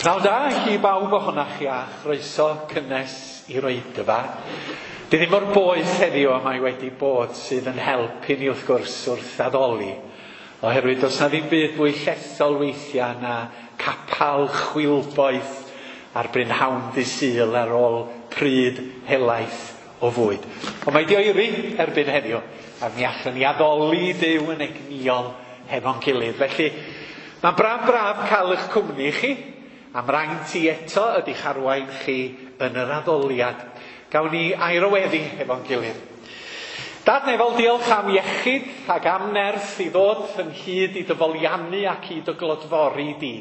Pnawn da i bawb ohonoch chi a chroeso cynnes i'r oedfa. Di ddim mor boeth heddiw a mae wedi bod sydd yn help i ni wrth gwrs wrth addoli. Oherwydd does na ddim byd fwy llethol weithiau na capal chwilboeth ar brynhawn ddydd Sul ar ôl pryd helaeth o fwyd. Ond mae di oeri erbyn heddiw a mi allwn ni addoli Duw yn egnïol hefo'n gilydd. Felly mae'n braf braf cael eich cwmni chi. Am raint i eto ydy'ch arwain chi yn yr addoliad. Gawn ni air o weddi hefo'n gilydd. Dad nefol, diolch am iechyd ac am nerth i ddod ynghyd i dy foliannu ac i dy glodfori di.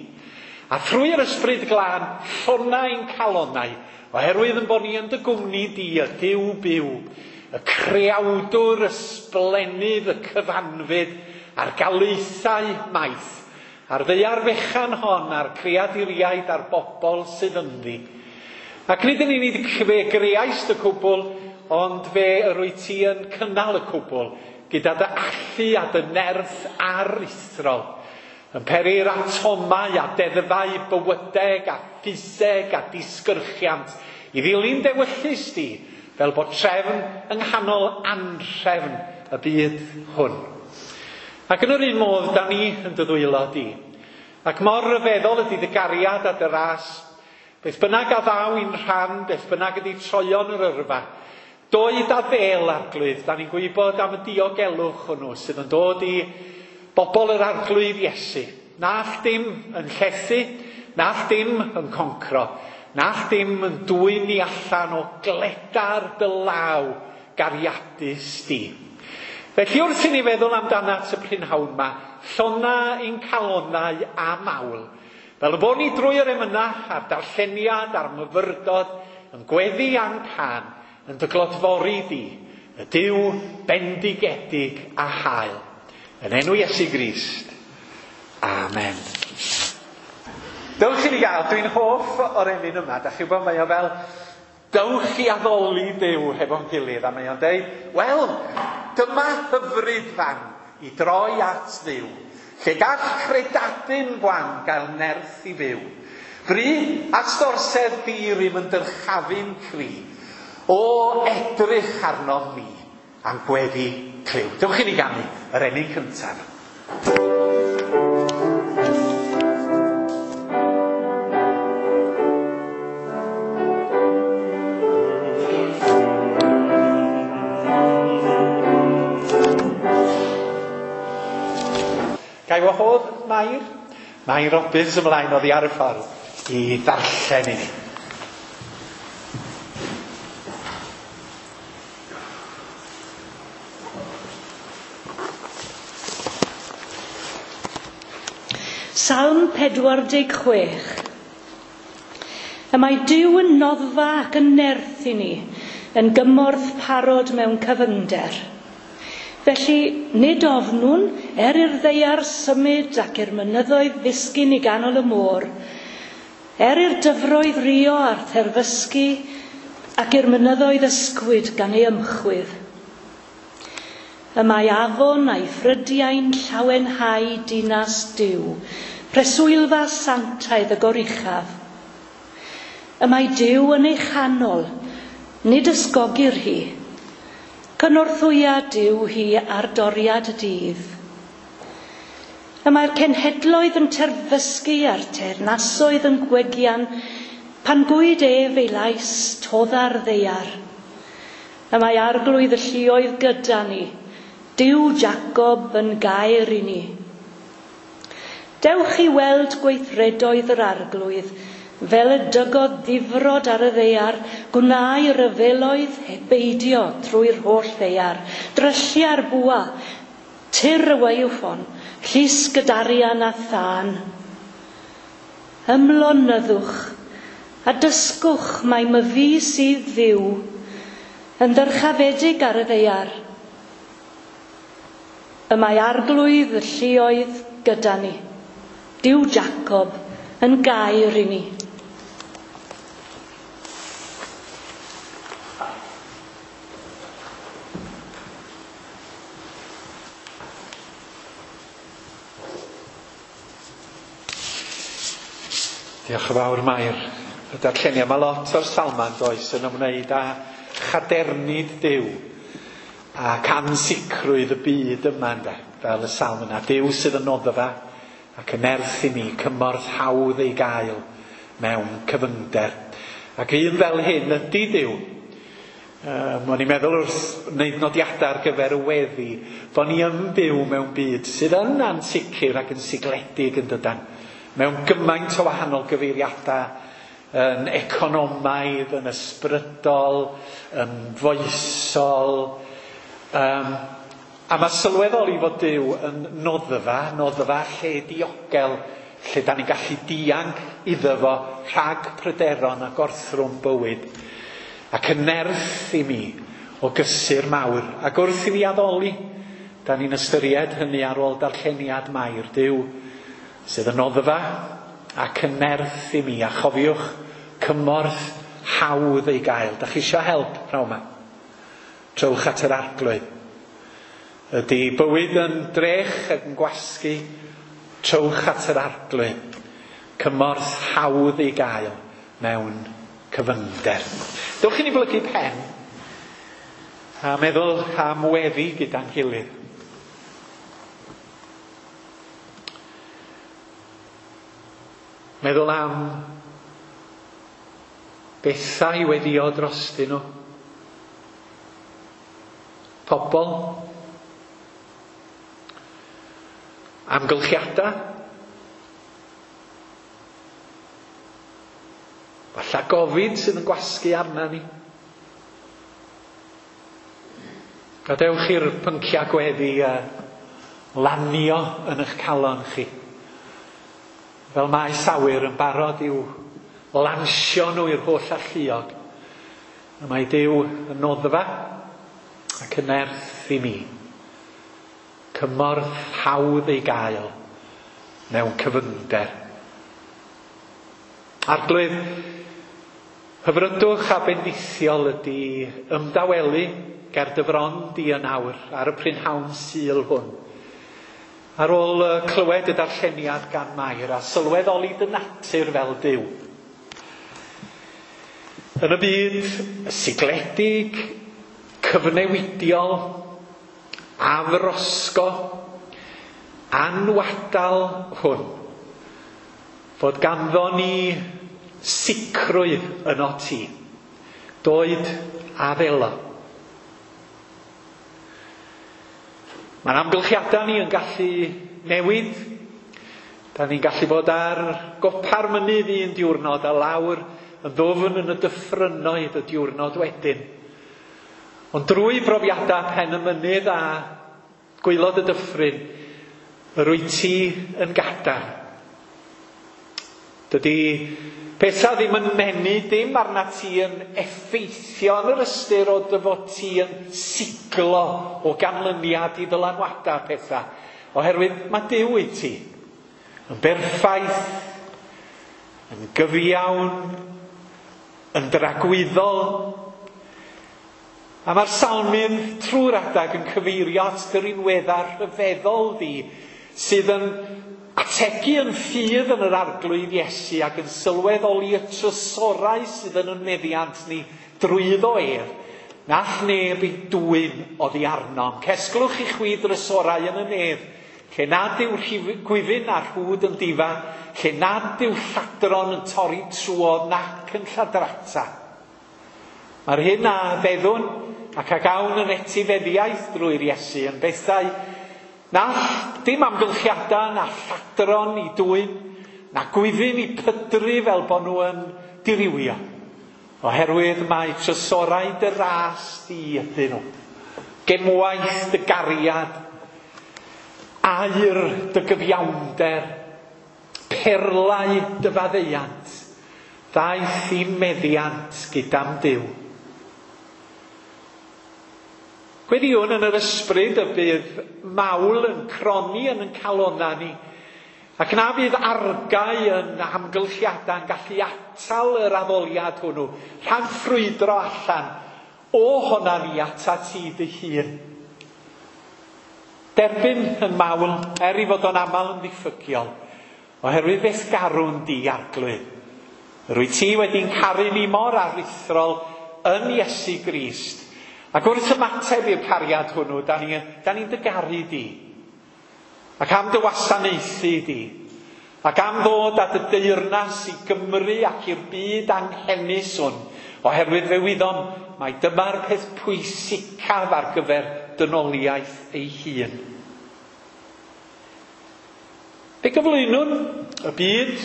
A thrwy'r ysbryd glân, llona ein calonnau, oherwydd yn bod ni yn dy gwmni di, y Duw byw, y creawdwr, y sblennydd, y cyfanfyd, a'r galaethau maith, a'r ddaear fechan hon, a'r creaduriaid a'r bobl sydd ynddi. Ac nid yn unig fe greaist y cwbl, ond fe yr wyt ti yn cynnal y cwbl, gyda dy allu a dy nerth aruthrol, yn peri'r atomau a deddfau bywydeg a ffiseg a disgyrchiant i ddilyn dewyllys di, fel bod trefn yng nghanol anhrefn y byd hwn. Ac yn yr un modd, da ni yn dy ddwylo di. Ac mor ryfeddol ydy dy gariad a dy ras. Beth bynnag a ddaw i'n rhan, beth bynnag ydy troion yr yrfa. Doed a ddel, Arglwydd, da ni'n gwybod am y diogelwch hwnnw sydd yn dod i bobl yr Arglwydd Iesu. Na all dim yn llethu, na all dim yn concro, na all dim yn dwyn ni allan o gledar dy law gariadus di. Felly wrth i ni feddwl amdanat y prynhawn ma, llona ein calonnau a mawl, fel y bod ni drwy yr emynau a'r darlleniad a'r myfyrdod yn gweddi a'n cân, yn dy glodfori di, y Duw bendigedig a hael. Yn enw Iesu Grist. Amen. Dewch i ni gael, dwi'n hoff o'r emyn yma, da chi'n gwybod mae o fel dewch i addoli Duw hefo'n gilydd, a mae o'n deud, wel, dyma hyfryd fan i droi at Dduw, lle gall credadun gwan gael nerth i fyw. Bry at dorsedd di-rim yn dyrchafu'n cri, o edrych arnom ni, a'n gweddi clyw. Dewch i ni ganu yr emyn cyntaf. Ga i wahodd Mair? Mair Robbins ymlaen oddi ar y ffordd i ddarllen i ni. Salm 46. Y mae Duw yn noddfa ac yn nerth i ni, yn gymorth parod mewn cyfyngder. Felly, nid ofnwn, er i'r ddaear symud ac i'r mynyddoedd ddisgyn i ganol y môr, er i'r dyfroedd rio a'r terfysgu ac i'r mynyddoedd ysgwyd gan ei ymchwydd. Y mae afon a'i ffrydiau'n llawenhau dinas Duw, preswylfa sanctaidd y goruchaf. Y mae Duw yn ei chanol, nid ysgogir hi. Cynorthwya Duw hi ar doriad y dydd. Y mae'r cenhedloedd yn terfysgu a'r teyrnasoedd yn gwegian, pan gwyd ef ei lais todda'r ddaear. Y mae arglwydd y lluoedd gyda ni, Duw Jacob yn gair i ni. Dewch i weld gweithredoedd yr arglwydd, fel y dygodd ddifrod ar y ddaear, gwnâi ryfeloedd hebeidio trwy'r holl ddaear, dryllia'r bwa, tir y waywffon, llusg y darian a thân. Ymlonyddwch, a dysgwch mai myfi sydd Dduw, yn ddyrchafedig ar y ddaear. Y mae arglwydd y lluoedd gyda ni, Duw Jacob yn gair i ni. Diolch yn fawr Mair. Y darlleniad, mae lot o'r salmau does yn ymwneud â chadernid Duw ac ansicrwydd y byd yma ynde, fel y salm yna. Duw sydd yn noddfa ac yn nerth i mi, cymorth hawdd ei gael mewn cyfyngder. Ac un fel hyn ydy Duw. O'n i'n meddwl wrth wneud nodiadau ar gyfer y weddi, bod ni yn byw mewn byd sydd yn ansicr ac yn sigledig yn dydan. Mewn gymaint o wahanol gyfeiriadau, yn economaidd, yn ysbrydol, yn foesol. A mae sylweddoli fod Duw yn noddfa, noddfa lle diogel, lle da ni'n gallu dianc iddo fo rhag pryderon a gorthrwm bywyd. Ac yn nerth i mi o gysur mawr. Ac wrth i mi addoli, da ni'n ystyried hynny ar ôl darlleniad Mair. Duw sydd yn noddfa ac yn nerth i mi. A chofiwch, cymorth hawdd ei gael. Da chi isio help pnawn yma? Trowch at yr Arglwydd. Ydy bywyd yn drech ac yn gwasgu? Trowch at yr Arglwydd. Cymorth hawdd ei gael mewn cyfyngder. Dewch i ni blygu pen a meddwl am weddi gyda'n gilydd. Meddwl am bethau weddio drostyn nhw. Pobl. Amgylchiadau. Falla gofid sydd yn gwasgu arna ni. Gadewch i'r pynciau gweddi lanio yn eich calon chi. Fel maes awyr yn barod i'w lansio nhw i'r holl alluog. Y mae Duw yn noddfa ac yn nerth i mi. Cymorth hawdd ei gael mewn cyfyngder. Arglwydd, hyfrydwch a bendithiol ydy ymdawelu ger dy fron di yn awr ar y prynhawn Sul hwn. Ar ôl clywed y darlleniad gan Mair a sylweddoli dy natur fel Duw. Yn y byd sigledig, cyfnewidiol, afrosgo, anwadal hwn, fod ganddo ni sicrwydd yno ti, doed a ddelo. Mae'n amgylchiadau ni yn gallu newid. Da ni'n gallu bod ar gopa'r mynydd un diwrnod a lawr yn ddwfn yn y dyffrynnoedd y diwrnod wedyn. Ond drwy brofiadau pen y mynydd a gwaelod y dyffryn, yr wyt ti yn gadarn. Dydy pethau ddim yn menu dim arna ti yn effeithio yn yr ystyr o dy fod ti yn siglo o ganlyniad i ddylanwadau pethau. Oherwydd mae Duw i ti yn berffaith, yn gyfiawn, yn dragwyddol. A mae'r salmydd trwy'r adag yn cyfeirio at dy rinweddau rhyfeddol di sydd yn ategu yn ffydd yn yr Arglwydd Iesu ac yn sylweddoli y trysorau sydd yn y meddiant ni drwyddo ef. Nall neb ei dwyn oddi arnom. Cesglwch i chwi drysorau yn y nef, lle nad yw gwifyn a rhwd yn difa, lle nad yw lladron yn torri trwodd nac yn lladrata. Mae'r hyn a feddwn ac a gawn yn etifeddiaeth drwy'r Iesu yn bethau na dim amgylchiadau, na lladron i dwyn, na gwifyn i pydru fel bod nhw yn dirywio. Oherwydd mae trysorau dy ras di ydyn nhw. Gemwaith dy gariad, aur dy gyfiawnder, perlau dy faddeuant, ddaeth i'n meddiant gyda'm Duw. Gweddïwn yn yr ysbryd y bydd mawl yn cronni yn ein calonnau ni, ac na fydd argau yn amgylchiadau yn gallu atal yr addoliad hwnnw, rhag ffrwydro allan o honna ni atat ti dy hun. Derbyn yn mawl, er i fod o'n aml yn ddiffygiol, Oherwydd beth garwn di arglwydd. Rwy ti wedi'n caru ni mor aruthrol yn Iesu Grist. Ac wrth ymateb i'r cariad hwnnw, da ni'n da ni dy garu di. Ac am dy wasanaethu di. Ac am ddod at y deyrnas i Gymru ac i'r byd anghenus hwn. Oherwydd fe wyddom mai dyma'r peth pwysicaf ar gyfer dynoliaeth ei hun. Fe gyflwynwn y byd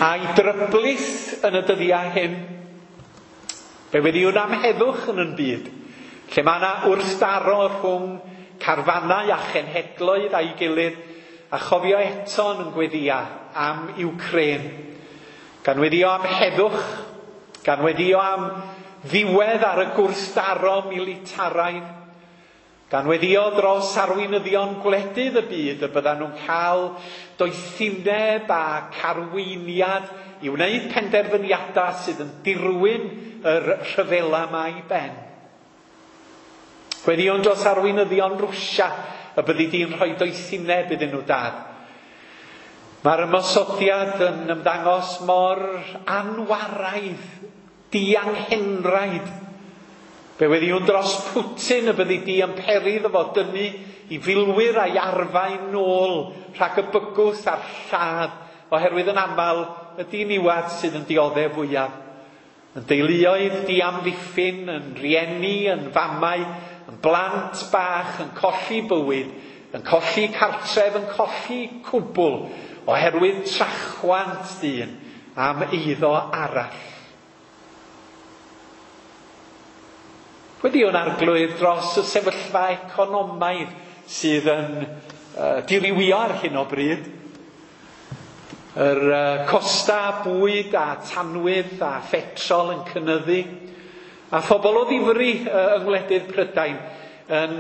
a'i dryblith yn y dyddiau hyn. Fe weddiwn am heddwch yn yn byd, lle mae yna wrthdaro rhwng carfannau a chenhedloedd a'i gilydd, a chofio eto yn gweddia am Iwcrên. Gan weddio am heddwch, gan weddio am ddiwedd ar y gwrthdaro militaraidd, gan weddio dros arweinyddion gwledydd y byd y byddan nhw'n cael doethineb a carweiniad i wneud penderfyniadau sydd yn dirwyn yr rhyfela yma i ben. Gweddïwn dros arweinyddion Rwsia y byddi di'n rhoi doethineb iddyn nhw dad. Mae'r ymosodiad yn ymddangos mor anwaraidd, dianghenraid. Fe weddiwn dros Putin y byddi di yn peri iddo fo dynnu i filwyr a'i arfau nôl rhag y bygwth a'r lladd, oherwydd yn aml y diniwad sydd yn dioddef fwyaf. Yn deuluoedd diamddiffyn, yn rieni, yn famau, yn blant bach, yn colli bywyd, yn colli cartref, yn colli cwbl, oherwydd trachwant dyn am eiddo arall. Weddiwn arglwydd dros y sefyllfa economaidd sydd yn dirywio ar hyn o bryd. Yr costa bwyd a tanwydd a phetrol yn cynyddu. A phobl o ddifri yng ngwledydd Prydain yn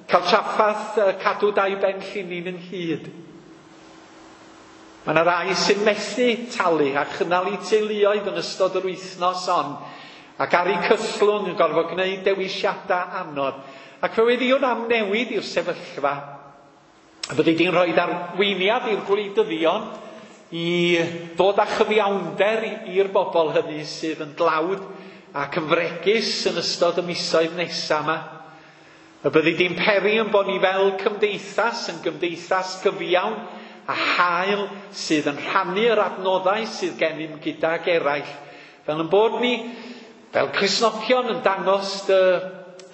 cael traffath cadw dau ben llinyn ynghyd. Mae yna rai sy'n methu talu a chynnal eu teuluoedd yn ystod yr wythnos on ac ar eu cythlwng yn gorfod gwneud dewisiadau anodd. Ac fe weddiwn am newid i'r sefyllfa. Y byddi di'n rhoi arweiniad i'r gwleidyddion i ddod â chyfiawnder i'r bobl hynny sydd yn dlawd ac yn fregus yn ystod y misoedd nesaf yma. Y byddi di'n peri yn bod ni fel cymdeithas, yn gymdeithas gyfiawn a hael sydd yn rhannu yr adnoddau sydd gennym gydag eraill. Fel yn bod ni, fel Cristnogion, yn dangos dy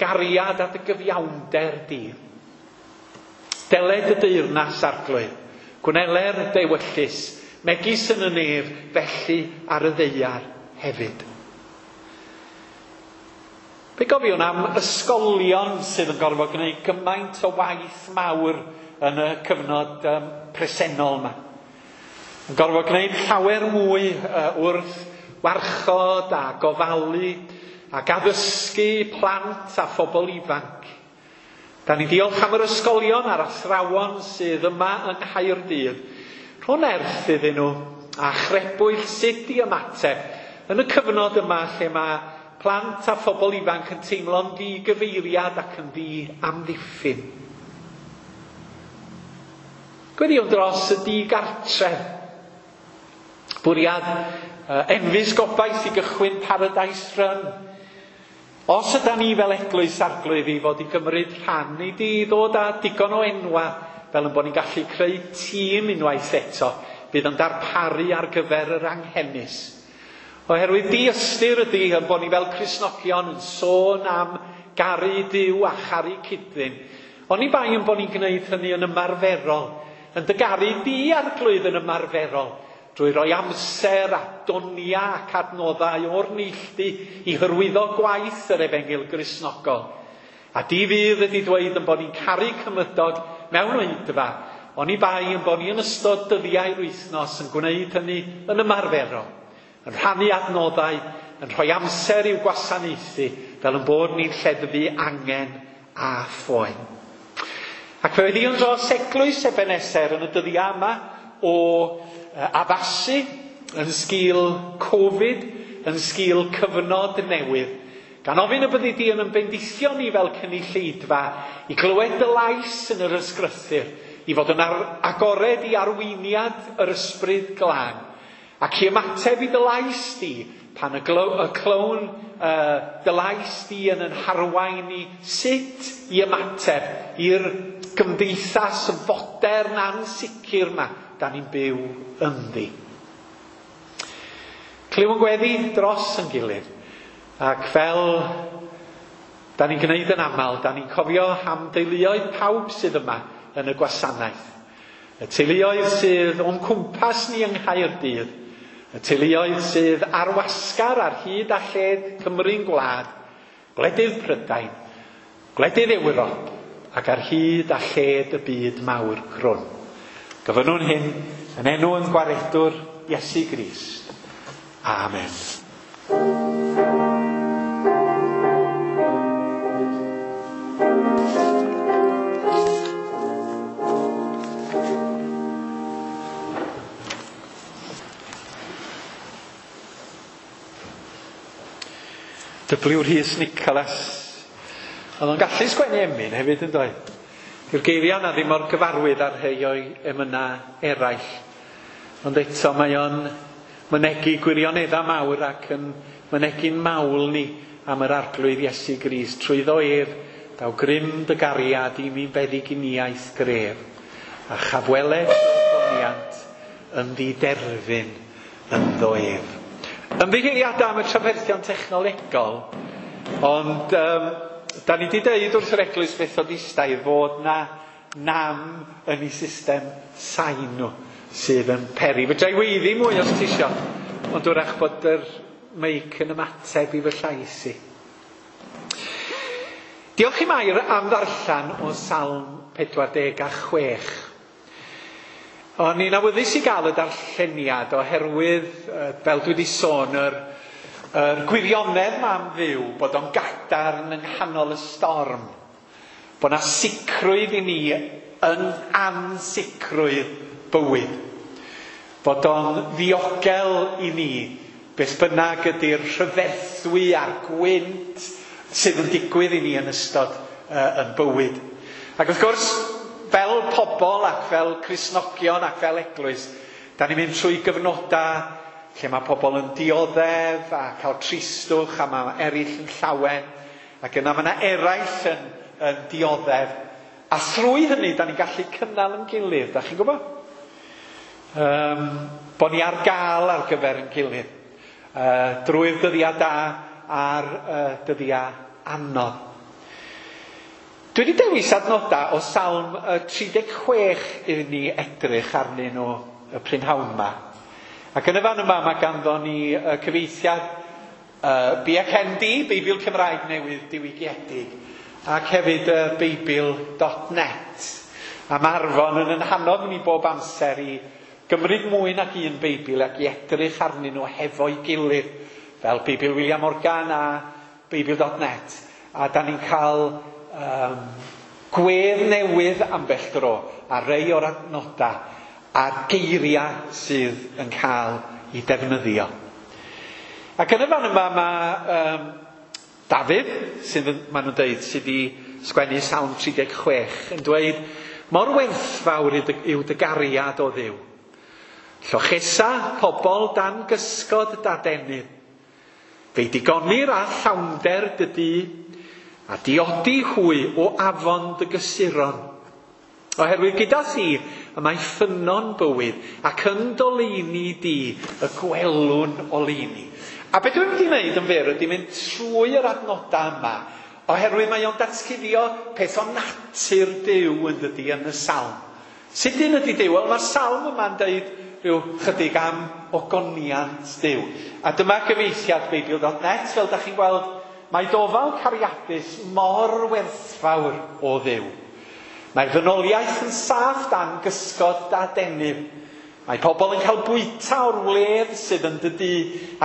gariad a dy gyfiawnder di. Deled y deyrnas arglwydd, gwneler dewyllys, megis yn y nef, felly ar y ddaear hefyd. Fe gofiwn am ysgolion sydd yn gorfod gwneud gymaint o waith mawr yn y cyfnod presennol yma. Yn gorfod gwneud llawer mwy wrth warchod a gofalu ac addysgu plant a phobl ifanc. Da ni diolch am yr ysgolion a'r athrawon sydd yma yng Nghaerdydd. Rho nerth iddyn nhw a chrebwyll sut i ymateb yn y cyfnod yma lle mae plant a phobl ifanc yn teimlo'n ddigyfeiriad ac yn ddi-amddiffyn. Gweddiwn dros y digartref. Bwriad enfys gobaith i gychwyn Paradise Run. Os yda ni fel eglwys arglwydd i fod i gymryd rhan, i di ddod â digon o enwa fel yn bod ni'n gallu creu tîm unwaith eto bydd yn darparu ar gyfer yr anghenus. Oherwydd diystyr ydy yn bod ni fel Cristnogion yn sôn am garu Duw a charu cyd-ddyn. Oni bai yn bod ni'n gwneud hynny yn ymarferol, yn dy garu di arglwydd yn ymarferol, drwy roi amser a donia ac adnoddau o'r neilltu i hyrwyddo gwaith yr Efengyl Gristnogol. A di fydd ydy dweud yn bod ni'n caru cymydog mewn oedfa, oni bai yn bod ni yn ystod dyddiau'r wythnos yn gwneud hynny yn ymarferol, yn rhannu adnoddau, yn rhoi amser i'w gwasanaethu, fel yn bod ni'n lleddfu angen a phoen. Ac fe weddiwn dros eglwys Ebeneser yn y dyddiau yma o addasu yn sgil Covid, yn sgil cyfnod newydd. Gan ofyn y byddi di yn bendithio ni fel cynulleidfa i glywed dy lais yn yr ysgrythur, i fod yn agored i arweiniad yr Ysbryd Glân, ac i ymateb i dy lais di pan y clywn dy lais di yn yn harwain ni sut i ymateb i'r gymdeithas fodern ansicr yma da ni'n byw ynddi. Clyw yn gweddi dros yn gilydd, ac fel da ni'n gwneud yn aml, da ni'n cofio am deuluoedd pawb sydd yma yn y gwasanaeth. Y teuluoedd sydd o'n cwmpas ni yng Nghaerdydd, y teuluoedd sydd ar wasgar ar hyd a lled Cymru'n gwlad, gwledydd Prydain, gwledydd Ewrop, ac ar hyd a lled y byd mawr crwn. Gofynnwn hyn yn enw yn gwaredwr Iesu Grist. Amen. W. Rhys Nicholas. Oedd o'n gallu sgwennu emyn hefyd yn doedd. Dyw'r geiriau yna ddim mor gyfarwydd ar rhai o'i emynau eraill. Ond eto mae o'n mynegi gwirioneddau mawr ac yn mynegi'n mawl ni am yr Arglwydd Iesu Grist. Trwyddo ef, daw grym dy gariad i mi'n feddyginiaeth gref, a chafweled ogoniant yn ddiderfyn ynddo ef. Ymddiheuriadau am y trafferthion technolegol, ond da ni wedi deud wrth yr Eglwys Fethodistaidd fod na nam yn ei system sain nhw sydd yn peri. Fedra i weiddi mwy os ti isio, ond wrach bod yr meic yn ymateb i fy llais i. Diolch i Mair am ddarllen o Salm 46. O'n i'n awyddus i gael y darlleniad oherwydd, fel dwi wedi sôn, yr gwirionedd ma am Dduw, bod o'n gadarn yng nghanol y storm, bod 'na sicrwydd i ni yn ansicrwydd bywyd, bod o'n ddiogel i ni beth bynnag ydy'r rhyfeddwy a'r gwynt sydd yn digwydd i ni yn ystod yn bywyd. Ac wrth gwrs, fel pobl ac fel Cristnogion ac fel eglwys, da ni'n mynd trwy gyfnodau lle mae pobl yn dioddef a cael tristwch a mae eraill yn llawen, ac yna mae yna eraill yn dioddef. A thrwy hynny, da ni'n gallu cynnal yn gilydd, da chi'n gwybod? Bo ni ar gael ar gyfer yn gilydd, drwy'r dyddiau da a'r dyddiau anodd. Dwi wedi dewis adnodau o Salm 36 iddyn ni edrych arnyn nhw y prynhawn yma. Ac yn y fan yma mae ganddo ni cyfieithiad BCND, Beibl Cymraeg Newydd Diwygiedig, ac hefyd Beibl.net. A mae Arfon yn hannog ni bob amser i gymryd mwy nag un Beibl ac i edrych arnyn nhw hefo'i gilydd, fel Beibl William Morgan a Beibl.net. A da ni'n cael gwedd newydd ambell dro a rei o'r adnodau a'r geiriau sydd yn cael ei defnyddio. Ac yn y fan yma mae Dafydd, sydd maen nhw'n dweud, sydd wedi sgwennu Salm 36, yn dweud, mor werthfawr yw dy gariad o Dduw. Llochesa pobl dan gysgod dadenydd. Fe'i digonir â llawnder dy dŷ, a diodi hwy o afon dy gysuron. Oherwydd gyda thi y mae ffynnon bywyd, ac yn doleini di y gwelwn oleuni. A beth dwi'n mynd i wneud yn fyr ydy mynd trwy yr adnodau yma, oherwydd mae o'n datguddio peth o natur Duw yn dydi yn y salm. Sut dyn ydy Duw? Wel, mae'r salm yma'n deud rhyw chydig am ogoniant Duw. A dyma gyfieithiad Beibl.net, fel da chi'n gweld, mae dofal cariadus mor werthfawr o Dduw. Mae'r ddynoliaeth yn saff dan gysgod dadenydd. Mae pobl yn cael bwyta o'r wledd sydd yn dy dŷ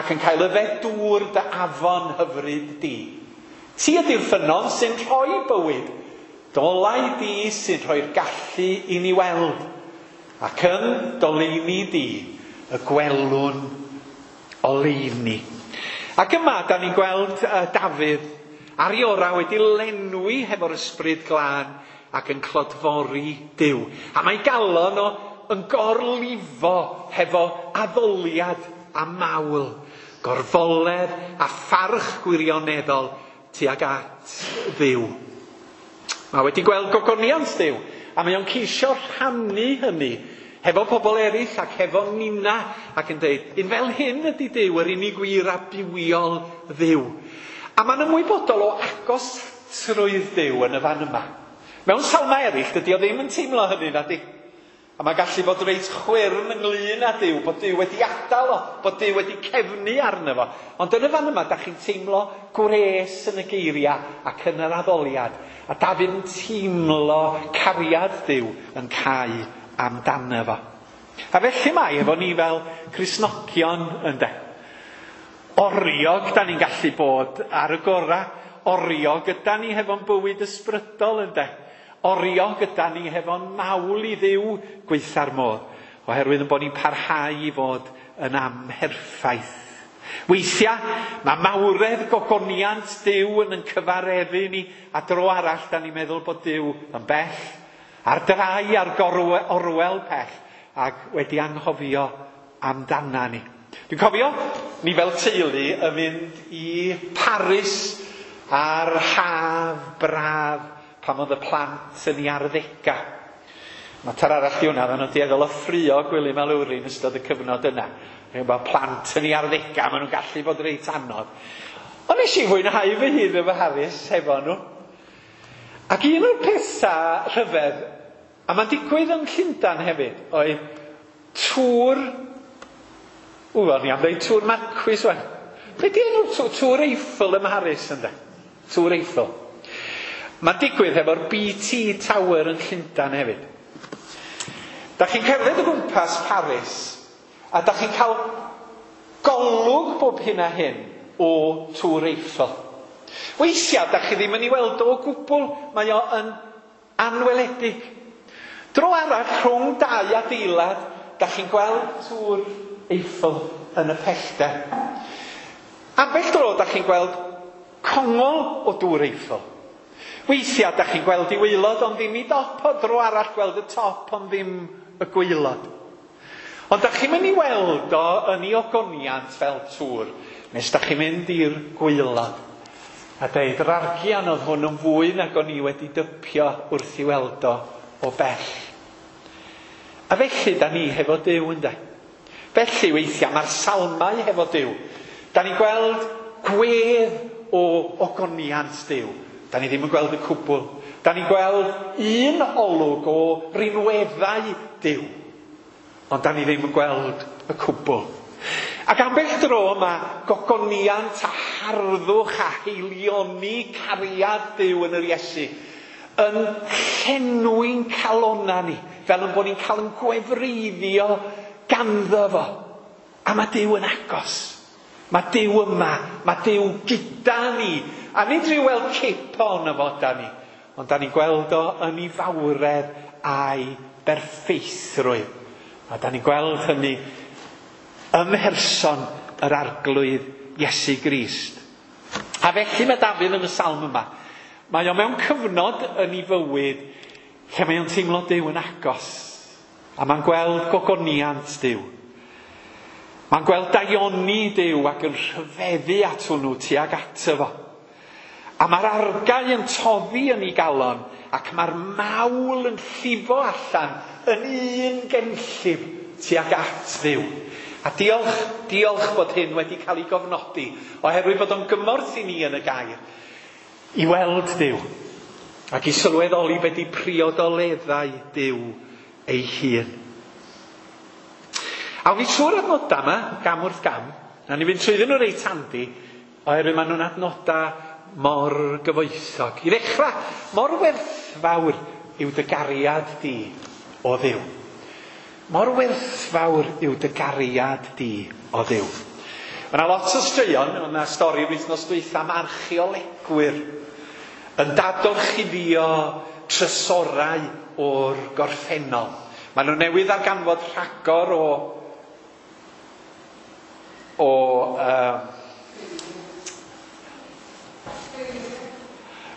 ac yn cael yfed dŵr dy afon hyfryd di. Ti ydy'r ffynnon sy'n rhoi bywyd, dolau di sy'n rhoi'r gallu i ni weld, ac yn doleini di y gwelwn oleuni. Ac yma, da ni'n gweld Dafydd ar ei orau wedi lenwi hefo'r Ysbryd Glân ac yn clodfori Duw. A mae galon o yn gorlifo hefo addoliad a mawl, gorfoledd a pharch gwirioneddol tuag at Dduw. Mae wedi gweld gogoniant Duw, a mae o'n ceisio rhannu hynny hefo pobl eraill ac hefo nina, ac yn dweud, un fel hyn ydy Duw, yr unig wir a bywiol Dduw. A mae'n ymwybodol o agosatrwydd Duw yn y fan yma. Mewn salmau eraill, dydy o ddim yn teimlo hynny, na di. A mae'n gallu bod reit chwyrn ynglyn â Duw, bod Duw wedi adael o, bod Duw wedi cefnu arno fo. Ond yn y fan yma, da chi'n teimlo gwres yn y geiriau ac yn yr addoliad. A Dafydd yn teimlo cariad Duw yn cau amdano fo. A felly mae efo ni fel Cristnogion, ynde. Oriog da ni'n gallu bod ar y gorau. Oriog yda ni hefo'n bywyd ysbrydol, ynde. Oriog yda ni hefo'n mawl i Dduw gweitha'r modd, oherwydd yn bod ni'n parhau i fod yn amherffaith. Weithiau, mae mawredd gogoniant Duw yn cyfareddu ni, a dro arall da ni'n meddwl bod Duw yn bell, ar drai a'r orwel pell, ac wedi anghofio amdana ni. Dwi'n cofio ni fel teulu yn mynd i Paris ar haf braf pan oedd y plant yn ei arddegau. Mater arall di hwnna, oedden nhw'n dueddol o ffrio Gwilym a Lowri yn ystod y cyfnod yna. Mae plant yn ei arddegau, maen nhw'n gallu bod reit anodd. Ond nes i fwynhau fy hun efo Harris hefo nhw. Ac un o'r pethau rhyfedd, a mae'n digwydd yn Llundain hefyd, oedd tŵr, o'n i am ddeud tŵr Marquis wan. Be di enw'r tŵr? Tŵr Eiffel ym Mharis, ynde? Tŵr Eiffel. Mae'n digwydd hefo'r BT Tower yn Llundain hefyd. Da chi'n cerdded o gwmpas Paris, a da chi'n cael golwg bob hyn a hyn o Tŵr Eiffel. Weithiau, da chi ddim yn ei weld o gwbl, mae o yn anweledig. Dro arall, rhwng dau adeilad, da chi'n gweld Tŵr Eiffel yn y pellter. Ambell dro, da chi'n gweld congol o Dŵr Eiffel. Weithiau, da chi'n gweld i waelod, ond ddim i dop o, dro arall gweld y top, ond ddim y gwaelod. Ond da chi'n mynd i weld o yn ei ogoniant fel tŵr, nes da chi'n mynd i'r gwaelod. A deud, yr argian oedd hwn yn fwy nag o'n i wedi dypio wrth i weld o o bell. A felly, da ni hefo Duw, ynde? Felly, weithiau, mae'r salmau hefo Duw. Da ni'n gweld gwedd o ogoniant Duw. Da ni ddim yn gweld y cwbl. Da ni'n gweld un olwg o rinweddau Duw. Ond da ni ddim yn gweld y cwbl. Ac ambell dro mae gogoniant a harddwch a haelioni cariad Duw yn yr Iesu yn llenwi'n calonna ni, fel yn bod ni'n cael yn gwefreiddio ganddo fo. A mae Duw yn agos. Mae Duw yma. Mae Duw gyda ni. A nid rhyw weld cip ohono fo da ni, ond da ni'n gweld o yn ei fawredd a'i berffeithrwydd. A da ni'n gweld hynny ym mherson yr Arglwydd Iesu Grist. A felly mae Dafydd yn y salm yma. Mae o mewn cyfnod yn ei fywyd lle mae o'n teimlo Duw yn agos. A mae'n gweld gogoniant Duw. Mae'n gweld daioni Duw ac yn rhyfeddu at hwnnw tuag ato fo. A mae'r argau yn toddi yn ei galon ac mae'r mawl yn llifo allan yn un genllif tuag at Dduw. A diolch, diolch bod hyn wedi cael ei gofnodi, oherwydd bod o'n gymorth i ni yn y gair, i weld Duw ac i sylweddoli be di priodoleddau Duw ei hun. Awn ni trwy'r adnodau yma, gam wrth gam. Na ni fynd trwyddyn nhw reit handi, oherwydd maen nhw'n adnodau mor gyfoethog. I ddechrau, mor werthfawr yw dy gariad di o Dduw. Mor werthfawr yw dy gariad di o Dduw. Mae yna lot o straeon, oedd yna stori wythnos dwytha am archeolegwyr yn dadorchuddio trysorau o'r gorffennol. Maen nhw newydd ddarganfod rhagor o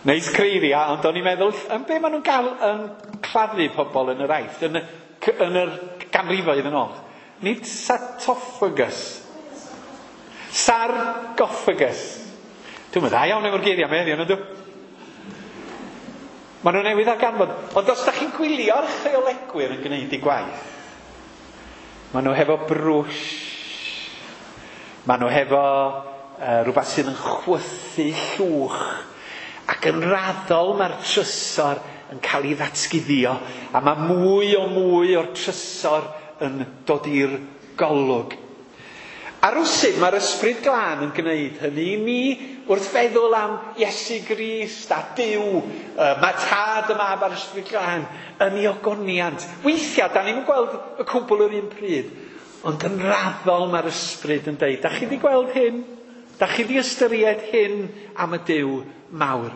Neis creiddia, ond o'n i'n meddwl, yn be maen nhw'n gael yn claddu pobl yn yr Aifft, yn yr ganrifoedd yn ôl? Nid sarcophagus. Sarcophagus. Dwi'n meddwl, dda iawn efo'r geiriau yma heddiw, ydw? Maen nhw newydd ddarganfod. Ond os da chi'n gwylio'r archeolegwyr yn gwneud eu gwaith, maen nhw hefo brwsh, maen nhw hefo rhywbeth sydd yn chwythu llwch, ac yn raddol mae'r trysor yn cael ei ddatguddio, a mae mwy o mwy o'r trysor yn dod i'r golwg. A rywsut mae'r Ysbryd Glân yn gwneud hynny i ni wrth feddwl am Iesu Grist a Duw, mae Tad, y Mab a'r Ysbryd Glân yn ei ogoniant. Weithiau, da ni'n gweld y cwbl yr un pryd, ond yn raddol mae'r Ysbryd yn deud, da chi wedi gweld hyn? Da chi wedi ystyried hyn am y Duw mawr?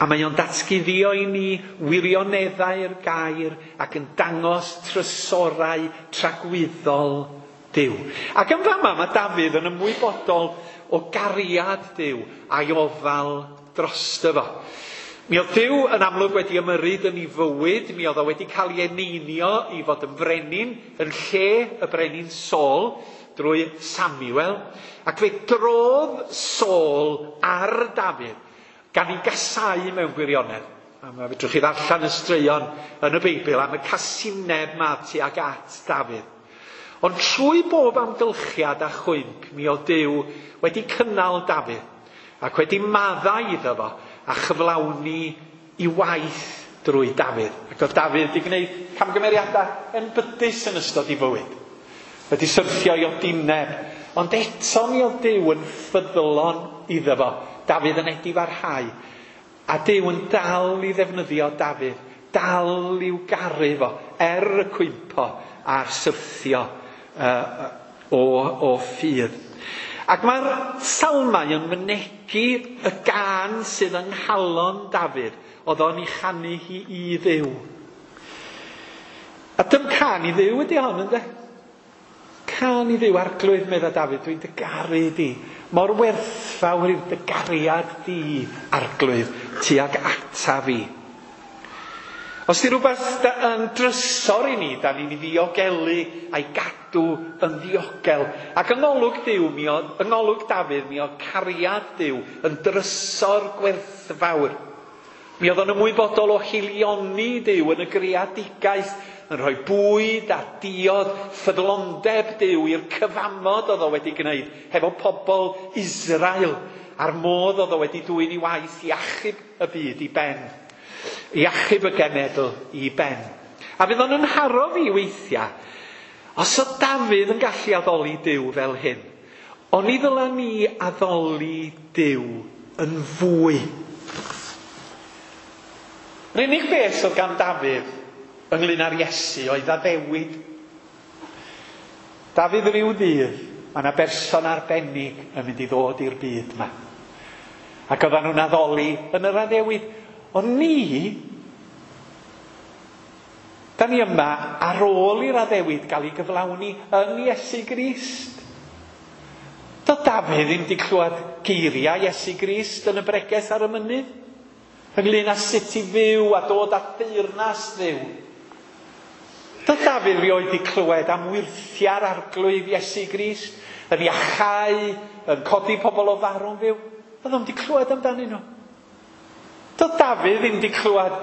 A mae o'n datguddio i ni wirioneddau'r gair ac yn dangos trysorau tragwyddol Duw. Ac yn fama mae Dafydd yn ymwybodol o gariad Duw a'i ofal drosto fo. Mi oedd Duw yn amlwg wedi ymyrryd yn ei fywyd, mi oedd o wedi cael ei eneinio i fod yn frenin yn lle y brenin Saul drwy Samuel, ac fe drodd Saul ar Dafydd gan ei gasau mewn gwirionedd. A mae fedrwch chi ddarllen y straeon yn y Beibl am y casineb ma tuag at Dafydd. Ond trwy bob amgylchiad a chwymp, mi oedd Duw wedi cynnal Dafydd ac wedi maddau iddo fo a chyflawni i waith drwy Dafydd. Ac oedd Dafydd wedi gwneud camgymeriadau enbydus yn ystod ei fywyd. Wedi syrthio i odineb, ond eto mi oedd Duw yn ffyddlon iddo fo. Dafydd yn edifarhau, a Duw yn dal i ddefnyddio Dafydd, dal i'w garu fo, er y cwympo a'r syrthio o ffydd. Ac mae'r salmau yn mynegi y gân sydd yng nghalon Dafydd, oedd o'n ei chanu hi i Dduw. A dim cân i Dduw ydy hon, ynde? Cân i Dduw, Arglwydd, medda Dafydd, dwi'n dy garu di. Mor werthfawr yw dy gariad di, Arglwydd, tuag ata fi. Os di rhywbeth yn drysor i ni, da ni'n ei ddiogelu a'i gadw yn ddiogel. Ac yng ngolwg Duw, yng ngolwg Dafydd, mi oedd cariad Duw yn drysor gwerthfawr. Mi oedd o'n ymwybodol o haelioni Duw yn y greadigaeth, yn rhoi bwyd a diod, ffyddlondeb Duw i'r cyfamod oedd o wedi gwneud hefo pobl Israel, a'r modd oedd o wedi dwyn i waith i achub y byd i ben. I achub y genedl i ben. A fydd o'n nharo fi weithiau, os oedd Dafydd yn gallu addoli Duw fel hyn, oni ddyla ni addoli Duw yn fwy. Yr unig beth oedd gan Dafydd ynglyn â'r Iesu oedd addewid. Dafydd ryw ddydd, mae yna berson arbennig yn mynd i ddod i'r byd yma. Ac oedden nhw'n addoli yn yr addewid. Ond ni, da ni yma ar ôl i'r addewid gael ei gyflawni yn Iesu Grist. Doedd Dafydd ddim wedi clywed geiriau Iesu Grist yn y bregeth ar y mynydd, ynglyn â sut i fyw a dod at deyrnas Dduw. Doedd Dafydd rioed wedi clywed am wyrthiau'r Arglwydd Iesu Grist, yn iachau, yn codi pobl o farw'n fyw. Doedd o'm wedi clywed amdanyn nhw. Doedd Dafydd ddim wedi clywed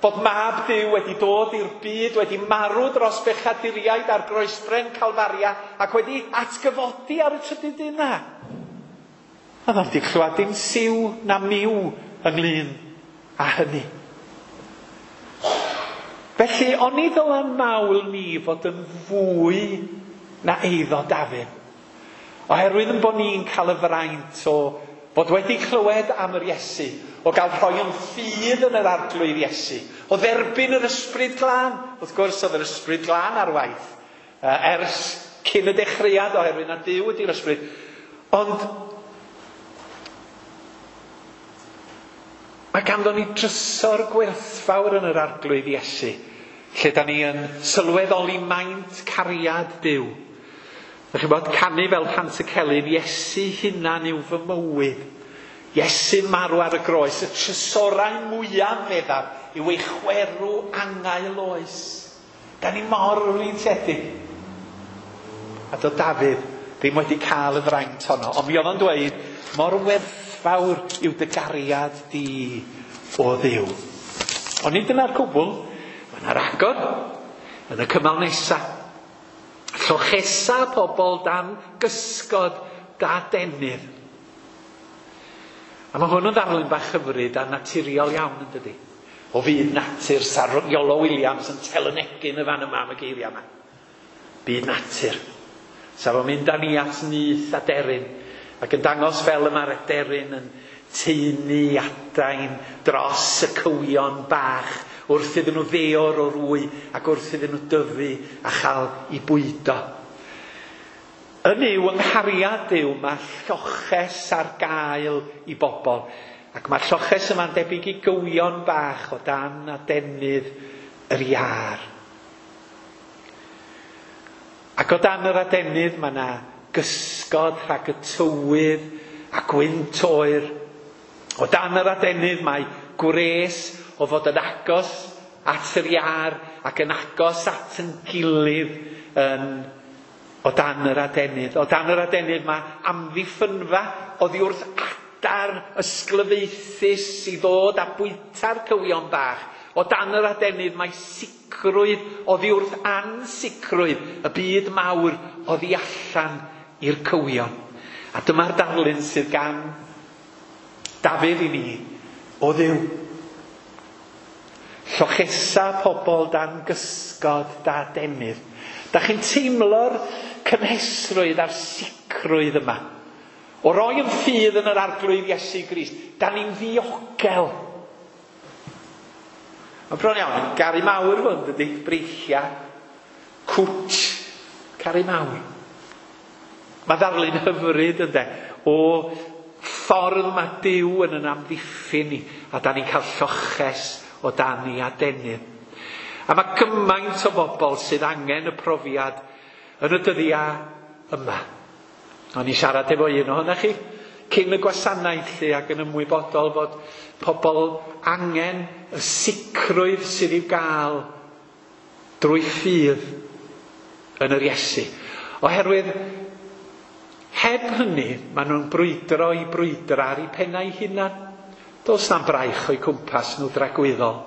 bod mab Duw wedi dod i'r byd, wedi marw dros bechaduriaid ar groesbren Calfaria ac wedi atgyfodi ar y trydydd dydd na. Doedd o'm wedi clywed dim siw na miw ynglyn â hynny. Felly, oni ddyla mawl ni fod yn fwy na eiddo Dafydd. Oherwydd yn bod ni'n cael y fraint o fod wedi clywed am yr Iesu, o gael rhoi yn ffydd yn yr Arglwydd Iesu, o dderbyn yr Ysbryd Glân. Wrth gwrs, oedd yr Ysbryd Glân ar waith ers cyn y dechreuad, oherwydd na Duw ydy'r Ysbryd. Ond mae ganddo ni drysor gwerthfawr yn yr Arglwydd Iesu, lle da ni yn sylweddoli maint cariad Duw. Dach chi'n bod canu fel Pant y Celyn, Iesu hunan yw fy mywyd. Iesu'n marw ar y groes, y trysorau mwyaf feddaf yw ei chwerw angau loes. Da ni mor freintiedig. A do Dafydd ddim wedi cael y fraint honno, ond mi oedd o'n dweud, mor werthfawr yw dy gariad di o Dduw. Ond nid dyna'r cwbl, mae yna ragor yn y cymal nesaf. Llochesa pobl dan gysgod da denydd. A mae hwn yn ddarlun bach hyfryd a naturiol iawn yn dydi. O fyd natur, sa Iolo Williams yn telynegu yn y fan yma am y geiriau yma. Byd natur. Sa fo'n mynd â ni at nyth aderyn ac yn dangos fel y mae'r aderyn yn taenu adain dros y cywion bach wrth iddyn nhw ddeor o'r wy ac wrth iddyn nhw dyfu a chael eu bwydo. Yn yw yng nghariad Duw mae lloches ar gael i bobl. Ac mae'r lloches yma'n debyg i gywion bach o dan adenydd yr iâr. Ac o dan yr adenydd mae yna gysgod rhag y tywydd a gwynt oer. O dan yr adenydd mae gwres o fod yn agos at yr iâr ac yn agos at yn gilydd yn o dan yr adenydd. O dan yr adenydd mae amddiffynfa oddi wrth adar ysglyfaethus i ddod a bwyta'r cywion bach. O dan yr adenydd mae sicrwydd oddi wrth ansicrwydd y byd mawr oddi allan i'r cywion. A dyma'r darlun sydd gan Dafydd i ni o Dduw. Llochesa pobl dan gysgod da adenydd. Da chi'n teimlo'r cynhesrwydd a'r sicrwydd yma. O roi yn ffydd yn yr Arglwydd Iesu Grist, da ni'n ddiogel. Mae'n bron iawn yn garu mawr hwn, dydy, breichia, cwtch, caru mawr. Mae ddarlun hyfryd ynde, o ffordd mae Duw yn yn amddiffyn ni, a da ni'n cael lloches o dan ei adenydd. A mae gymaint o bobl sydd angen y profiad yn y dyddiau yma. O'n i siarad efo un ohonoch chi cyn y gwasanaeth lle ac yn ymwybodol fod pobl angen y sicrwydd sydd i'w gael drwy ffydd yn yr Iesu. Oherwydd heb hynny, maen nhw'n brwydro i brwydro ar eu pennau hunan. Does na'm braich o'u cwmpas nhw dragwyddol.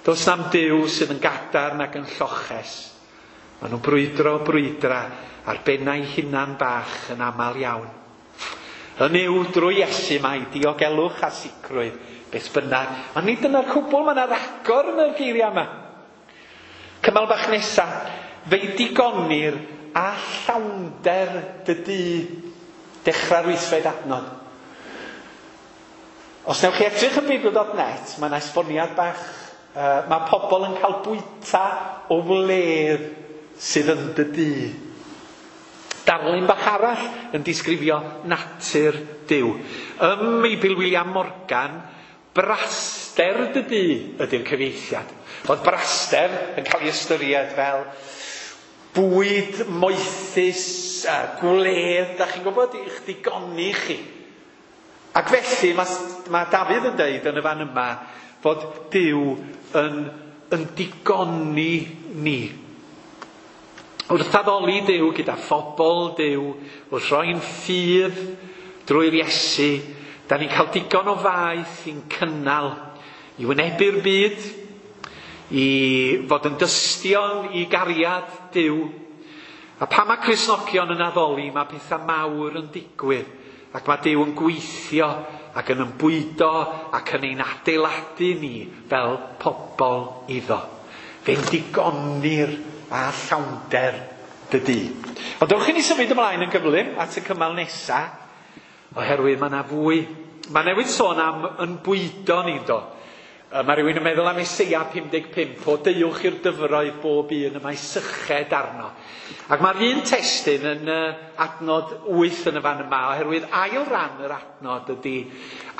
Does na'm Duw sydd yn gadarn ac yn lloches. Maen nhw'n brwydro brwydra ar bennau hunan bach yn aml iawn. Yn yw drwy Iesu mae diogelwch a sicrwydd beth bynnag. Ond nid dyna'r cwbl, mae yna ragor yn y geiriau yma. Cymal bach nesa, fe'i digonir a llawnder dy dŷ. Dechrau'r wythfed adnod. Os newch chi edrych yn Beibl.net, mae yna esboniad bach. Mae pobl yn cael bwyta o wledd sydd yn dy dŷ. Darlun bach arall yn disgrifio natur Duw. Ym Meibl William Morgan, braster dy dŷ ydy'r cyfieithiad. Oedd braster yn cael ei ystyried fel bwyd moethus, gwledd, da chi'n gwybod, i'ch digoni chi. Ac felly mae Dafydd yn deud yn y fan yma fod Duw yn digoni ni. Wrth addoli Duw gyda phobl Duw, wrth roi'n ffydd drwy'r Iesu, da ni'n cael digon o faeth i'n cynnal, i wynebu'r byd, i fod yn dystion i gariad Duw. A pan mae Cristnogion yn addoli, mae pethau mawr yn digwydd, ac mae Duw yn gweithio ac yn ymbwydo ac yn ein adeiladu ni fel pobl iddo. Fe'n digonir a llawnder dy dŷ. Ond dewch i ni symud ymlaen yn gyflym at y cymal nesa, oherwydd mae yna fwy. Mae newydd sôn am yn bwydo ni, do. Mae rhywun yn meddwl am Eseia 55, o deuwch i'r dyfroedd bob un y mae syched arno. Ac mae'r un testun yn adnod 8 yn y fan yma, oherwydd ail ran yr adnod ydy,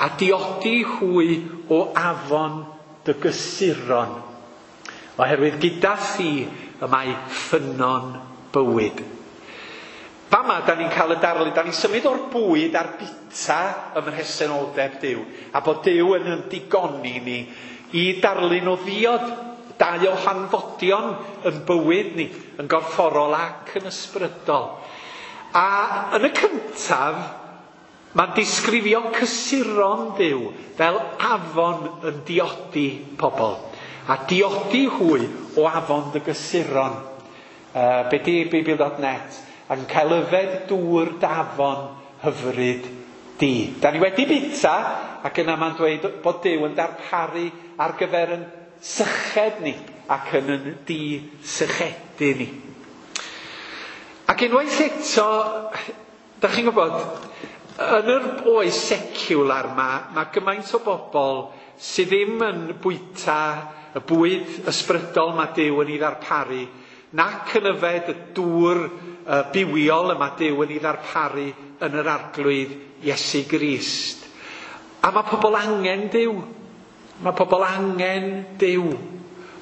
a diodi hwy o afon dy gysuron. Oherwydd gyda thi y mae ffynnon bywyd. Fama, da ni'n cael y darlun, da ni'n symud o'r bwyd a'r bita ym mhresenoldeb Duw, a bod Duw yn yn digoni ni i darlun o ddiod, dau o hanfodion yn bywyd ni, yn gorfforol ac yn ysbrydol. A yn y cyntaf, mae'n disgrifio cysuron Duw fel afon yn diodi pobl. A diodi hwy o afon dy gysuron. Be di Beibl.net? Ac yn cael yfed dŵr dafon hyfryd di. Da ni wedi bita, ac yna mae'n dweud bod Duw yn darparu ar gyfer yn syched ni ac yn yn di-sychedu ni. Ac unwaith eto, da chi'n gwybod, yn yr oes seciwlar ma, mae gymaint o bobl sydd ddim yn bwyta y bwyd ysbrydol mae Duw yn ei ddarparu, nac yn yfed y dŵr bywiol y mae Duw yn ei ddarparu yn yr Arglwydd Iesu Grist. A mae pobl angen Duw. Mae pobl angen Duw.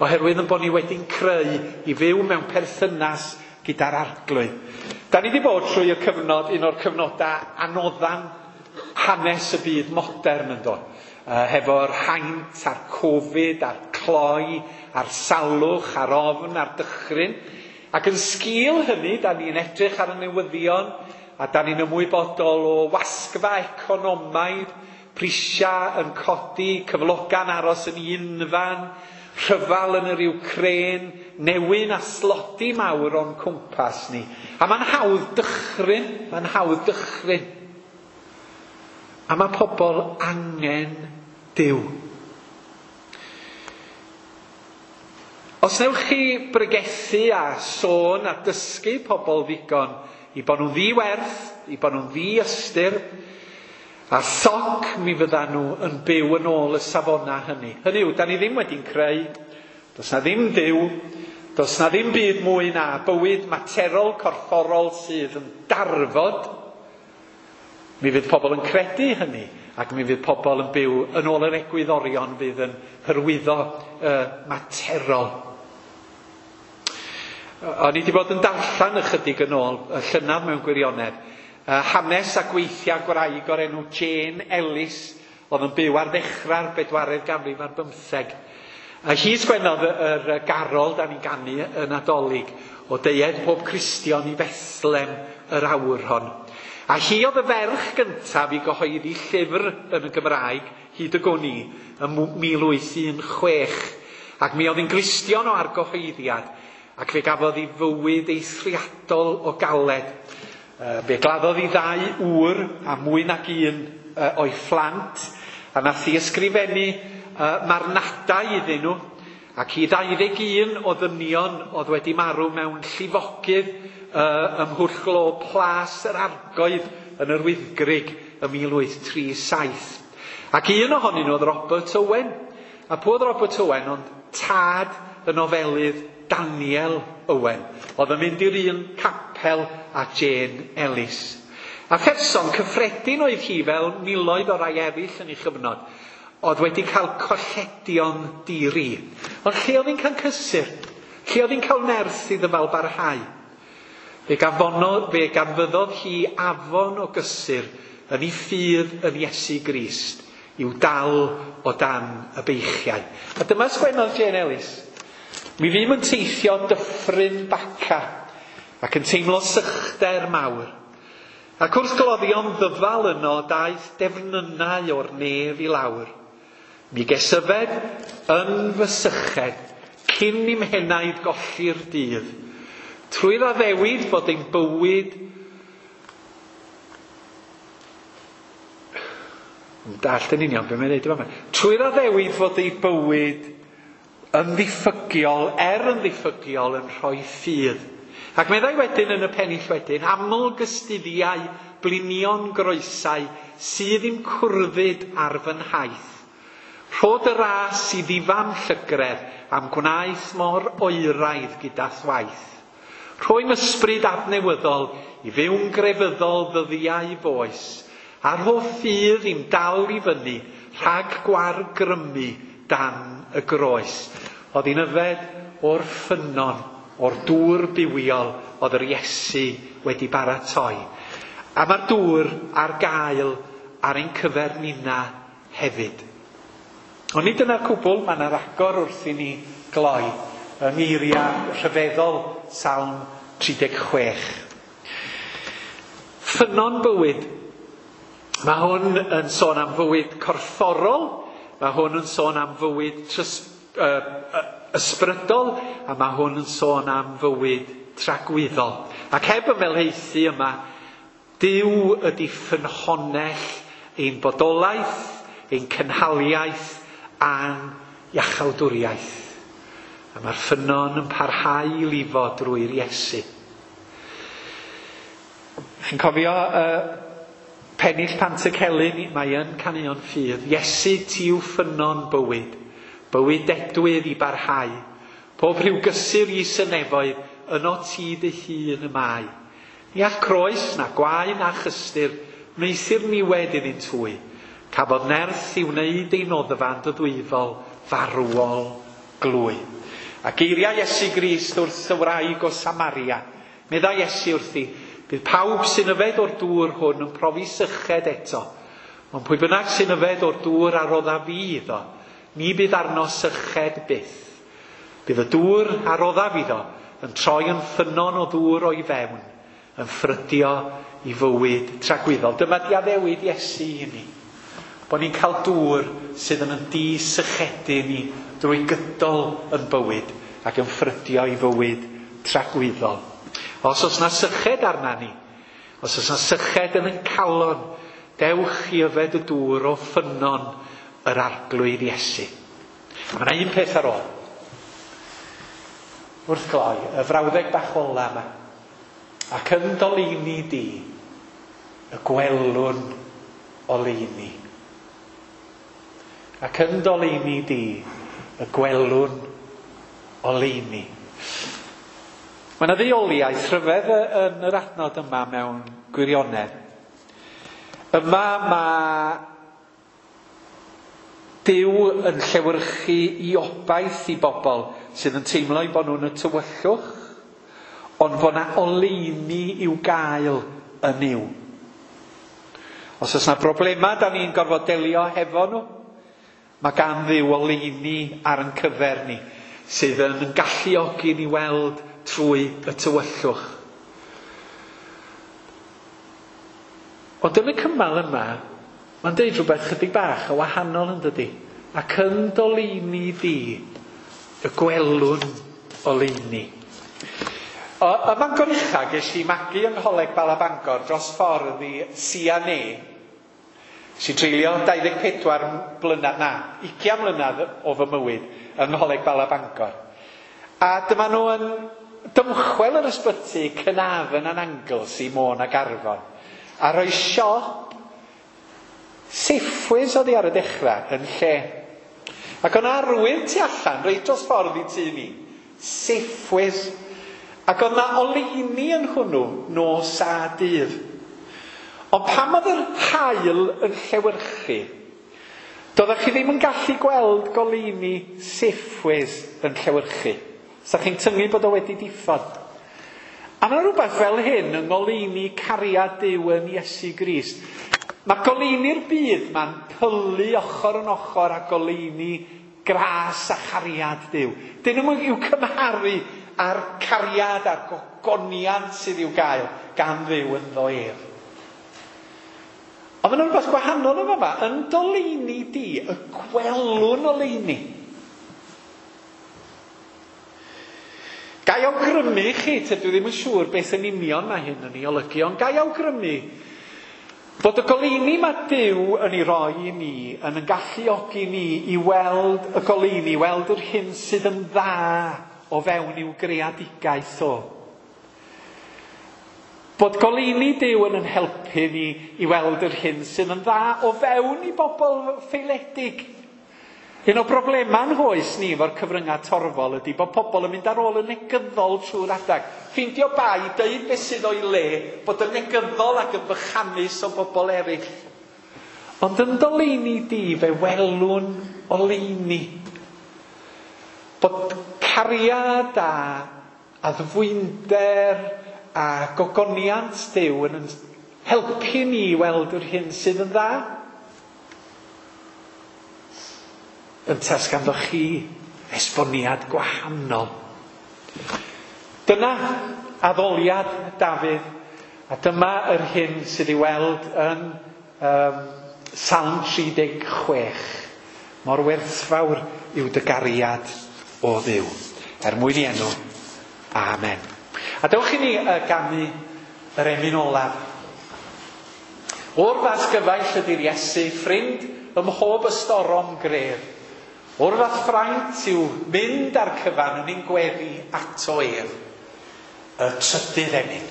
Oherwydd yn bod ni wedi'n creu i fyw mewn perthynas gyda'r Arglwydd. Da ni wedi bod trwy y cyfnod, un o'r cyfnodau anoddan hanes y byd modern yn dod. Hefo'r haint a'r Covid a'r cloi a'r salwch a'r ofn a'r dychryn. Ac yn sgil hynny, da ni'n edrych ar y newyddion a da ni'n ymwybodol o wasgfa economaidd, prisiau yn codi, cyfloga'n aros yn unfan, rhyfal yn yr Ukraine, newyn a slodi mawr o'n cwmpas ni. A mae'n hawdd dychryn, mae'n hawdd dychryn. A mae pobl angen Duw. Os newch chi bregethu a sôn a dysgu pobl ddigon i bod nhw'n ddi-werth, i bod nhw'n ddi-ystyr, a soc mi fyddan nhw yn byw yn ôl y safonau hynny. Hynny yw, da ni ddim wedi'n creu, does na ddim Duw, does na ddim byd mwy na bywyd materol corfforol sydd yn darfod. Mi fydd pobl yn credu hynny, ac mi fydd pobl yn byw yn ôl yr egwyddorion fydd yn hyrwyddo materol. O'n i wedi bod yn darllen ychydig yn ôl, y llynedd mewn gwirionedd, hanes a gweithiau gwraig o'r enw Jane Ellis, oedd yn byw ar ddechrau'r bedwaredd ganrif ar bymtheg. A hi sgwennodd yr garol da ni'n ganu y Nadolig, o deued pob Cristion i Fethlem yr awr hon. A hi oedd y ferch gyntaf i gyhoeddi llyfr yn y Gymraeg, hyd y gwn i, ym 1816. Ac mi oedd hi'n Gristion o argyhoeddiad, ac fe gafodd ei fywyd eithriadol o galed. Fe gladdodd ei ddau ŵr a mwy nag un o'i phlant, a nath hi ysgrifennu marnadau iddyn nhw, ac i 21 o ddynion oedd wedi marw mewn llifogydd ym Mhwll Glo Plas yr Argoedd yn yr Wyddgrug ym 1837. Ac un ohonyn nhw oedd Robert Owen. A pwy oedd Robert Owen? Ond tad y nofelydd Daniel Owen. Oedd yn mynd i'r un capel a Jane Ellis. A pherson cyffredin oedd hi fel miloedd o rai eraill yn ei chyfnod, oedd wedi cael colledion di-ri. Ond lle oedd hi'n cael cysur? Lle oedd hi'n cael nerth i ddyfal barhau? Fe ganfyddodd hi afon o gysur yn ei ffydd yn Iesu Grist i'w dal o dan y beichiau. A dyma sgwennodd Jane Ellis. Mi fûm yn teithio dyffryn Baca ac yn teimlo sychder mawr. Ac wrth gloddio'n ddyfal yno daeth defnynnau o'r nef i lawr. Mi ges yfed yn fy syched cyn i'm henaid golli'r dydd. Trwy'r addewid bod ein bywyd yn dallt yn union be mae'n neud yma. Trwy'r addewid fod ei bywyd yn ddiffygiol, er yn ddiffygiol, yn rhoi ffydd. Ac meddai wedyn yn y pennill wedyn, aml gystuddiau blinion groesau sydd i'm cwrddyd ar fy nhaith. Rhod y ras i ddifam llygredd am gwnaeth mor oeraidd gyda thwaith. Rhoi'n ysbryd adnewyddol i fyw'n grefyddol ddyddiau foes, a rho ffydd i'm dal i fyny rhag gwargrymu dan y groes. Oedd hi'n yfed o'r ffynnon o'r dŵr bywiol oedd yr Iesu wedi baratoi. A mae'r dŵr ar gael ar ein cyfer ninna hefyd. Ond nid dyna'r cwbl, mae yna ragor wrth i ni gloi yng ngeiriau rhyfeddol Salm 36. Ffynnon bywyd. Mae hwn yn sôn am fywyd corfforol, mae hwn yn sôn am fywyd ysbrydol, a mae hwn yn sôn am fywyd tragwyddol. Ac heb ymhelaethu yma, Duw ydy ffynhonnell ein bodolaeth, ein cynhaliaeth a'n iachawdwriaeth. A mae'r ffynnon yn parhau i lifo drwy'r Iesu. Chi'n cofio pennill Pantycelyn? Mae yn caneuon ffydd. Iesu, ti yw ffynnon bywyd. Bywyd dedwydd i barhau. Pob rhyw gysur i synefoedd, yno ti dy hun y mae. Ni all croes, na gwae, na chystyr, wneuthur niwed iddynt hwy. Cafodd nerth i wneud ei noddfa yn ddwyfol, farwol glwy. A geiriau Iesu Grist wrth y wraig o Samaria. Meddai Iesu wrthi, bydd pawb sy'n yfed o'r dŵr hwn yn profi syched eto. Ond pwy bynnag sy'n yfed o'r dŵr a rodda fi iddo, ni bydd arno syched byth. Bydd y dŵr a roddaf iddo yn troi yn ffynnon o ddŵr o'i fewn, yn ffrydio i fywyd tragwyddol. Dyma di addewid Iesu i ni. Bod ni'n cael dŵr sydd yn disychedu ni drwy gydol yn bywyd ac yn ffrydio i fywyd tragwyddol. Os oes na syched arna ni, os oes na syched yn ein calon, dewch i yfed y dŵr o ffynnon yr Arglwydd Iesu. A mae yna un peth ar ôl. Wrth gloi, y frawddeg bach ola yma. Ac yn doleini di, y gwelwn oleuni. Ac yn doleini di, y gwelwn oleuni. Mae yna ddeuoliaeth rhyfedd yn yr adnod yma mewn gwirionedd. Yma mae Duw yn llewyrchu i obaith i bobl sydd yn teimlo eu bod nhw'n y tywyllwch, ond bod yna oleuni i'w gael yn Nuw. Os oes yna broblemau da ni'n gorfod delio hefo nhw, mae gan Dduw oleuni ar ein cyfer ni, sydd yn galluogi ni weld trwy y tywyllwch. Ond yn y cymal yma, mae'n deud rhywbeth chydig bach o wahanol yn dydi. Ac yn doleini di, y gwelwn oleuni. Ym Mangor Ucha, ges i magu yng Ngholeg Bala Bangor dros ffordd i CNA. Nes i treulio 24 blynedd, na, 20 mlynedd o fy mywyd yng Ngholeg Bala Bangor. A dyma nhw yn dymchwel yr ysbyty Caernarfon and Anglesey, Môn ac Arfon. A rhoi siop Safeways oedd hi ar y dechrau yn lle. Ac o'n arwydd tu allan, reit dros ffordd i tŷ ni. Safeways. Ac oedd na oleuni yn hwnnw nos a dydd. Ond pam oedd yr haul yn llewyrchu, doeddech chi ddim yn gallu gweld goleuni Safeways yn llewyrchu. Sa chi'n tyngu bod o wedi diffodd. A mae rhywbeth fel hyn yng ngoleuni cariad Duw yn Iesu Grist. Mae goleuni'r byd ma'n pylu ochr yn ochr â goleuni gras a chariad Duw. Dyn nhw'n i'w cymharu â'r cariad a'r gogoniant sydd i'w gael gan Dduw ynddo ef. Ond mae'n rhywbeth gwahanol yn fama. Yn doleini di, y gwelwn oleuni. Gai awgrymu i chi, tydw i ddim yn siŵr beth yn union mae hyn yn ei olygu, ond gai awgrymu bod y goleuni mae Duw yn ei roi i ni yn yn galluogi ni i weld y goleuni, weld yr hyn sydd yn dda o fewn i'w greadigaeth o. Bod goleuni Duw yn yn helpu ni i weld yr hyn sydd yn dda o fewn i bobl ffaeledig. Un o broblemau'n hoes ni efo'r cyfryngau torfol ydy bod pobl yn mynd ar ôl y negyddol trwy'r adag. Ffeindio bai, deud beth sydd o'i le, bod yn negyddol ac yn bychanus o bobl eraill. Ond yn doleini di, fe welwn oleuni. Bod cariad a addfwynder a gogoniant Duw yn helpu ni i weld yr hyn sydd yn dda? Ynta os ganddoch chi esboniad gwahanol. Dyna addoliad Dafydd, a dyma yr hyn sydd i weld yn Salm 36. Mor werthfawr yw dy gariad o Dduw. Er mwyn i enw. Amen. A dewch i ni ganu yr emyn olaf. O'r fath gyfaill ydy'r Iesu, ffrind ym mhob ystorom gref. O'r fath fraint yw mynd ar cyfan yn ein gweddi ato ef. Y trydydd emyn.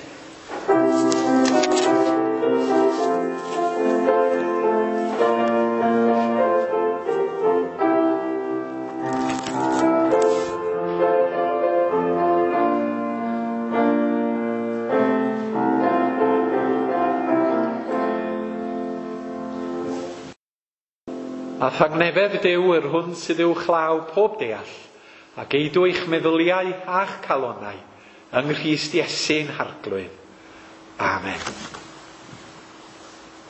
A thangnefedd Duw yr hwn sydd uwchlaw pob deall, a geidw eich meddyliau a'ch calonnau yng Nghrist Iesu'n Harglwydd. Amen.